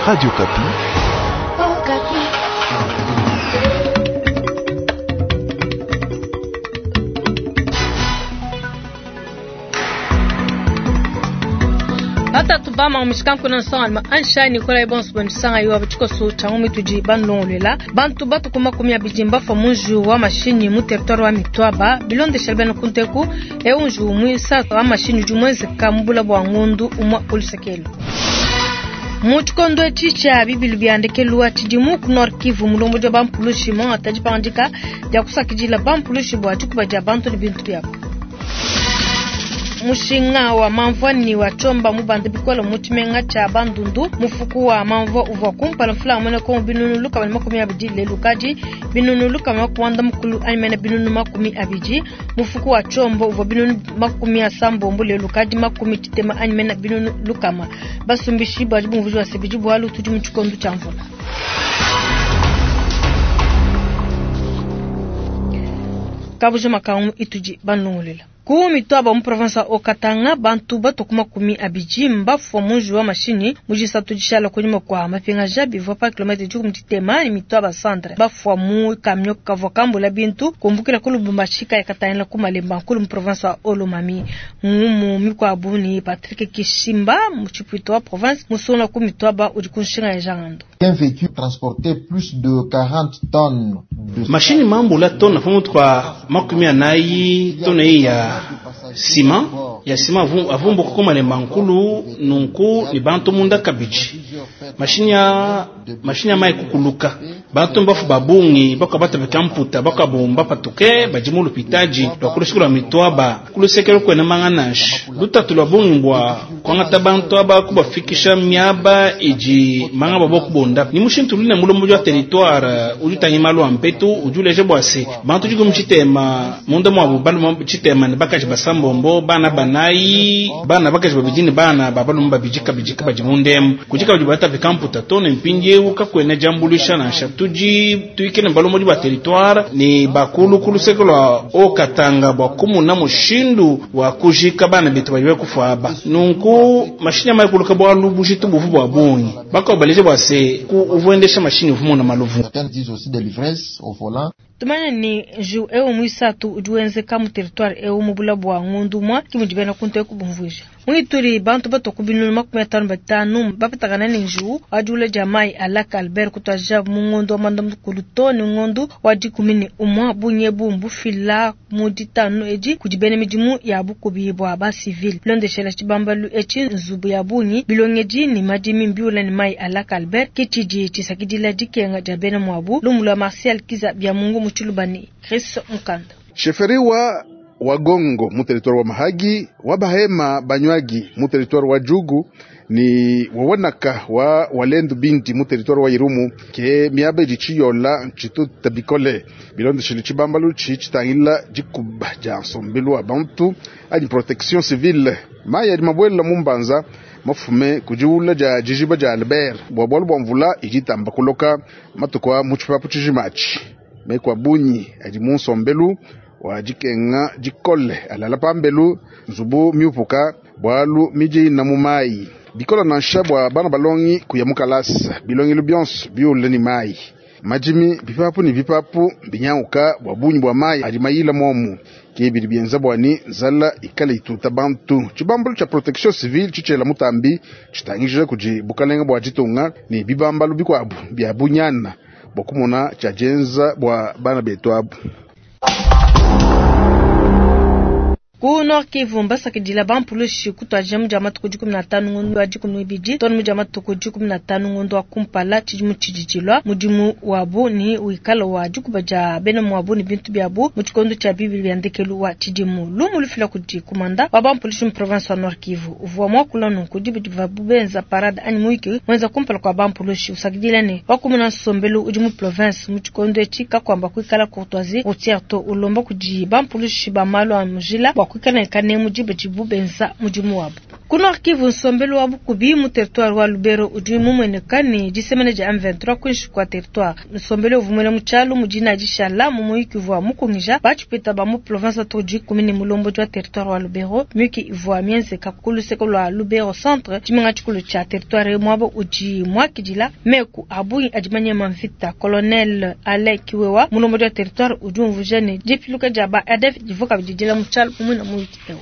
Radio Okapi. Batatu ba mamushikanku na nsonga ansha Nikolai bonso banisanga yo tshikoso tshia ngumi tudi banulongoluela bantu batuku 20 mbafua mu njiwu wa mashinyi mu territoire wa Mitwaba bilondeshela bena kunteku eu njiwu muisatu wa mashinyi udi muenzeka mu bula bua ngondu umua kulusekelu. Mu tshikondo etshi tshia bibilu bia ndekelu wa tshidimu ku Nord Kivu, mulombodi wa bampulushi muangata dipangadika dia kusakidila bampulushi bua dikuba dia bantu ne bintu biabu. Mushinga wa mamvua ni wa tshiomba mubanda bikole mu tshimenga tshia Bandundu. Mufuku wa mamvua uvua kumpala mfula mwene kongo 120 lelu kadi 190 anyi mene 20. Mufuku wa tshiomba uvua 70 lelu kadi 60 anyi mene 100. Basumbishi badi bumvuji wa sebidi bualu tudi mu tshikondo tshia mvula. Kabuja makangu itudi banlongolela. Ku Mitwaba mu province wa Haut-Katanga bantu batuku 20 mbafua mu njiwu wa mashinyi mu disatu dishala kunyima kua mapingaja bivua pa kilomètre 13 ne Mitwaba centre. Bafua mu camion kavua kambula bintu kumbukila ku Lubumbashi kaya katangila ku Malemba nkulu mu province wa Haut-Lomami. Ngumu mikuabu ni Patrick Kishimba mu tshipuito wa province musungula ku Mitwaba udi ku nshinga ya Jangando. Un véhicule transportait plus de 40 tonnes de Mashini mambula tona pamutu pa 40 tona ya ciment ya ciment avumbuka ku Malemba nkulu nunku ni bantu munda kabidi. Mashini ya mashini ya mai kukuluka bantu mbafu babungi bakabata mputa bakabumba patuke badi mu lupitaji lwa kulusiku lwa Mitwaba kulusekelo kwena manganashi lutatu lwa bungi bwa kwangata bantu aba kubafikisha miaba idi manga babo kubonda ni mushintu lune mulombo wa territoire udi utangi malu a mpetu udi uleja bua se bantu dikumi tshitema munda mwabu balume tshitema ne bakaji basambombo bana banayi bana bakaji babidi ne bana ba balume babidi kabidi kabadi mundemu kudi kabidi batapika mputa to ne mpindiewu kakwena diambuluisha nansha tudi tuikile balomodi ba territoire ne bakulu ku luseke lwa Haut-Katanga bua kumuna mushindu wa kujika bana betu badi kufa aba nunku mashini amaikuluka bualu bujitu buvu bua bungi bakobaleje bua se ku uvuendesha mashini uvumona maluvu. Certains disent aussi de l'ivresse au volant. Tumanya ni njiwu eu muisatu udi wenzeka mu territoire eu mu bula bua ngondu mwa kimudi bena kuntu kubumvuija. Mwituri bantu batoku 55 bapatakana ne njiwu wa diula dia mai a Lac Albert kutwaja mu ngondo wa manda mukulu to ne ngondo wa 11 bunyebu mbufila mu ditanu edi kudi bena midimu ya bukubi bua ba civil. Londeshela tshibambalu etshi nzubu ya bungi bilongedi ne madimi mbiula ne mai a Lac Albert kitshidi tshisakidila dikenga dia bena muabu. Lumu lwa Martial Kiza bya Mungu mu Tshilubani Chris Mukanda. Sheferi wa Wagongo mu territoire wa Mahagi, wa Bahema Banywagi mu territoire wa Jugu ni wawanaka wa Walendu Binti mu territoire wa Irumu ke miaba idi tshiyola ntshituta bikole bilondeshele tshibambalu tshi tshitangila dikuba dia nsombelu wa bantu anyi protection civile. Mayi adi mabuela mu mbanza mafume kudiula dia dijiba dia Albert bua bualu bua mvula idi itamba kuloka matuku a mu tshipapu tshijimatshi. Meku a bungi adi mu nsombelu wa dikenga dikole alala pambelu nzubu miupuka bualu midi ina mu mayi bikola nansha bua bana balongi kuya mu kalasa bilongelo bionso biule ni mayi madimi bipapu ni bipapu binyanguka bua bungi bua mayi adi mayila momu ke bidi bienza bua ni nzala ikale ituta bantu. Tshibambalu tshia protection civile tshitshela mutambi tshitangijila kudi bukalenga bua ditunga ne bibambalu bikuabu bia bunyana bua kumona tshia dienza bua bana betu abu. Ku Nord Kivu mbasakidila bampulushi kutwaja mu dia matuku 15 ngondo wa 12 tonu mu dia matuku 15 ngondo wa kumpala tshidimu tshididilwa mudimu wabu ni wikala wa dikuba dia bena muabu ni bintu biabu mu tshikondo tshia bibili bia ndekelu wa tshidimu. Lumu lufila kudi kumanda wa bampulushi mu province wa Nord Kivu uvua muakula nunku dibidi benza parade anyi muiki mwenza kumpala kwa bampulushi usakidila ne wakumuna nsombelu udi mu province mu tshikondo etshi kakwamba kuikala courtoisie routière to ulomba kudi bampulushi ba malu a mujila. kuikala ne kanemu diba didibu benza mudimu wabu. Ku Nord Kivu, nsombelu wa bukubi mu territoire wa Lubero udi mumueneka ne disemena dia M23 kuinshi kua territoire. Nsombelu uvua muela mu tshialu mu dina dishala mu muyuki uvua mukungija batshipeta ba mu province wa dikumi ne mulombodi wa territoire wa Lubero. Miyuki ivua mienzeka ku luseke lua Lubero centre, tshimenga tshikulu tshia territoire muaba udi muakidila meku a bungi adi manyema mvita. Colonel Alain Kiwewa mulombodi wa territoire udi umvuija ne dipiluka dia ba ADF divua kabidi dila mu tshialu mu muyuki eu.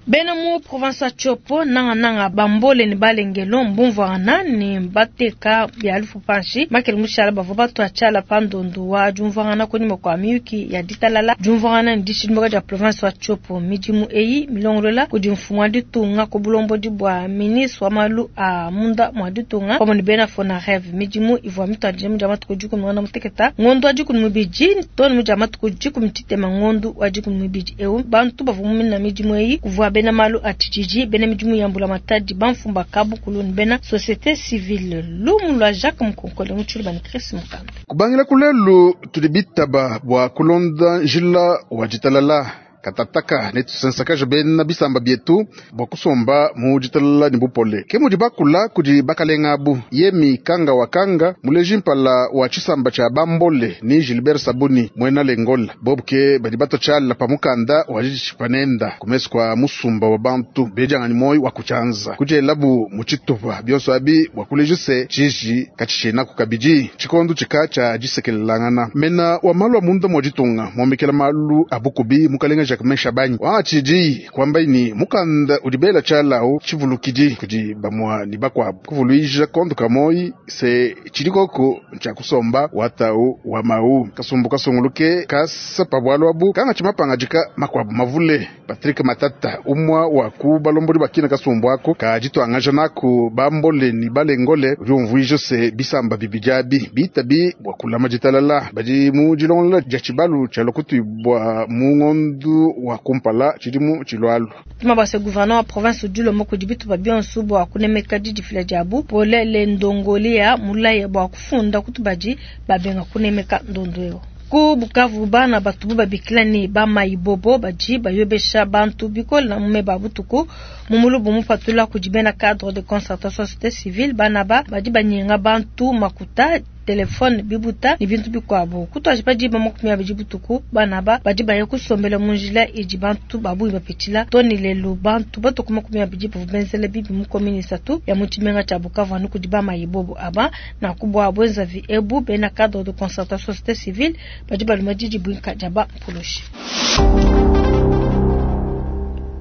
Bena mu province wa Tshopo nangananga bambole ne balengelo mbumvuangana ne bateka bia lufu panshi makele mushala bavua batua tshiala pa ndondu wa diumvuangana kunyima kua miyuki ya ditalala diumvuangana ne dishidimbuka dia province wa Tshopo. Midimu eyi milongolola kudi mfumu wa ditunga ku bulombodi bua ministre wa malu a munda mua ditunga pamue ne bena FONAREV. Midimu ivua mituadije mu dia matuku 16 ngondo wa 12 too ne mu dia matuku 13 ngondo wa 12 eu. Bantu bavua mumina midimu eyi kuvua bena malu a tshididi, bena midimu ya mbulamatadi, bamfumba kabukulu ne bena société civile. Lumu lua Jacques Mukonkole mu tshiluba ne Chris Mukanda. Kubangila kulelu tudi bitaba bua kulonda njila wa ditalala katataka ne tusensakaje bena bisamba bietu bua kusomba mu ditalala ne bupole. Ke mudi bakula kudi bakalenga abu Yemi Kanga wa Kanga muleji mpala wa tshisamba tshia Bambole ni Gilbert Sabuni mwena Lengola bobu ke badi bato tshiala pa mukanda wa ditshipanenda kumesu kwa musumba wa bantu bediangani moyo wa kutshianza kudielabu mu tshitupa bionso abi bua kuleja se tshiji katshitshenaku kabidi tshikondo tshika tshia disekelelangana mena wa malu a munda mua ditunga muomekela malu a bukubi mukalenga Jacquemain Shabani wangatshidi kwamba ni mukanda udi bela tshialau tshivulukidi kudi bamua ni bakwabu kuvuluija kondo kamoyi se tshidikoko ntshia kusomba watau wa mau kasumbu kasunguluke kasa pa bwalu abu kanga tshimapanga makwabu mavule. Patrick Matata umwa wa ku balombodi bakina kasumbu ako kaditwangaja naku bambole ni balengole udi umvuija se bisamba bibidi abi bitabi bua kulama ditalala badi mu dilongola dia tshibalu tshia lokutuibua mu ngondu wa kumpala tshidimu tshilualu. Tuma base gouverneur wa province udi ulomba kudi bitupa bionso bua kunemeka didifila diabu polele ndongolia mulaye bua kufunda kutubadi babenga kunemeka ndondo eo. Ku Bukavu bana batubu babikila ne bamaibobo badi bayobesha bantu bikola mu meba butuku mu mulubu mupatula kudi bena cadre de concertation société civile bana ba badi banyenga bantu makuta telefone bibuta ne bintu bikuabu kutwaji pa diba 20 butuku bana ba badi baye kusombela mu njila idi bantu babuyi bapitshila toni lelu bantu batuku 20 bavua benzela bibi mu commune isatu ya mu tshimenga tshia Bukavu anu kudi bamaibobo aba na kubwa bwenzavi ebu bena cadre de concertation société civile badi baluma didi buinka dia ba mpulushi.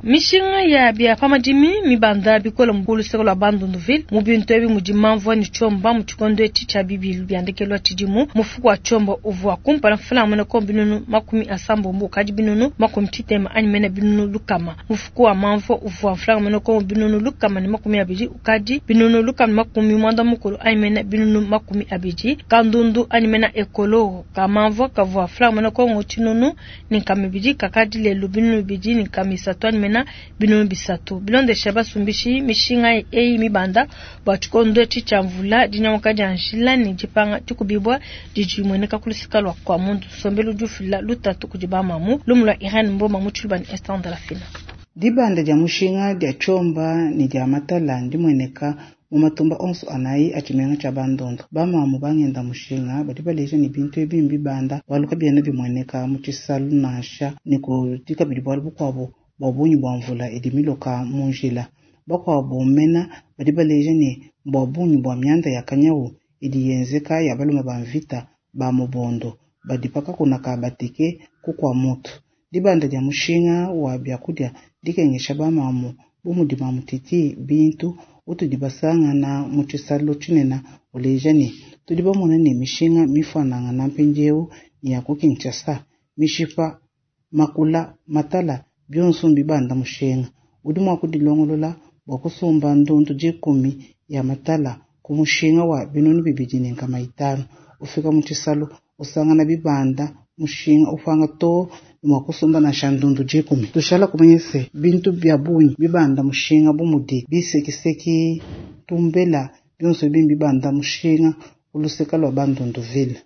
Mishinga ya bia pamadimi mibanda bikola mu luseke lwa Bandunduville mu bintu ebi mudi mamvua ne tshiomba mu tshikondo etshi tshia bibilu biandekelwa tshidimu mufuku wa tshiomba uvua kumpala mfulanga mene ko binunu 80 ukadi binunu 90 anyi mene binunu lukama. Mufuku wa mamvua uvua mfulanga mene ko binunu 120 ukadi binunu 190 anyi mene binunu 20. Kandundu anyi mene ekolo ka mamvua kavua mfulanga mene ko tshinunu ni nkama ibidi kakadi lelu binunu bibidi ni nkama isatu anyi mene binunu bisatu. Bilondesha basumbishi mishinga eyi mibanda bua tshikondo etshi tshia mvula dinyamuka dia njila ne dipanga dikubibwa didi mueneka ku lusika lua kwa muntu nsombelu udi ufila lutatu kudi bamamu lumu lua Irene Mboma mu tshiluba ne Esther Ndalafina. Dibanda dia mushinga dia tshiomba ne dia matala ndimueneka mu matumba onso anayi a tshimenga tshia Bandundu. Bamamu bangenda mushinga badi baleja ne bintu ebi mbibanda bualu kabiena bimueneka mu tshisalu nansha ne kudi kabidi bualu bukuabu bua bungi bua mvula idi miloka mu njila. Bakuabu mena badi baleja ne bua bungi bua mianda ya kanyawu idi yenzeka ya balume ba mvita ba mubondo badi pakakunaka bateke kukua mutu. Dibanda dia mushinga wa biakudia dikengesha bamamu bu mudi mamutiti bintu utudi basangana mu tshisalu tshinene uleja ne tudi bamona ne mishinga mifuanangana mpindieu ni ya ku Kinshasa mishipa makula matala bionso mbibanda mushinga. Udi mua kudilongolola bua kusumba ndundu 10 ya matala ku mushinga wa binunu 250. Ufika mu tshisalu usangana bibanda mushinga upanga to mua kusumba nansha ndundu 10. Tushala kumanya se bintu bia bungi bibanda mushinga bu mudi bisekiseki tumbela bionso bimbi bibanda mushinga uluseka lwa Bandunduville.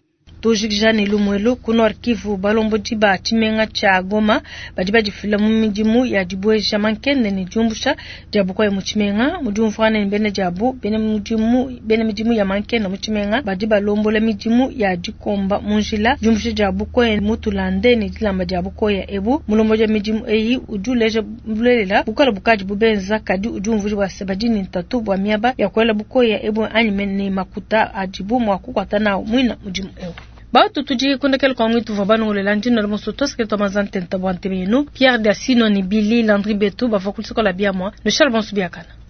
Tujikija ne lumuelu ku Nord Kivu, balombodi ba tshimenga tshia Goma badi badifila mu midimu ya dibueja mankende ne diumbusha dia bukoya mu tshimenga. Mu diumvuangana ne bena diabu, bena mudimu, bena midimu ya mankenda mu tshimenga badi balombola midimu ya dikomba mu njila, diumbusha dia bukoya mu tulande ne dilamba dia bukoya ebu. Mulombodi wa midimu eyi udi uleja bulelela bukole bukadi bubenza, kadi udi umvuija bua se badi ne ntatu bua miaba ya kuela bukoya ebu anyi ne makuta adibu mua kukuata nawu muina mudimu eu. Batu tudi kundekela kwa mwitu vwa banongolela ndino la moso toske to mazantenta bwa ntemenu Pierre Dasino ni Billy Landry Betu bavua kulisoko la biamwa no Charles Bonsu biakana.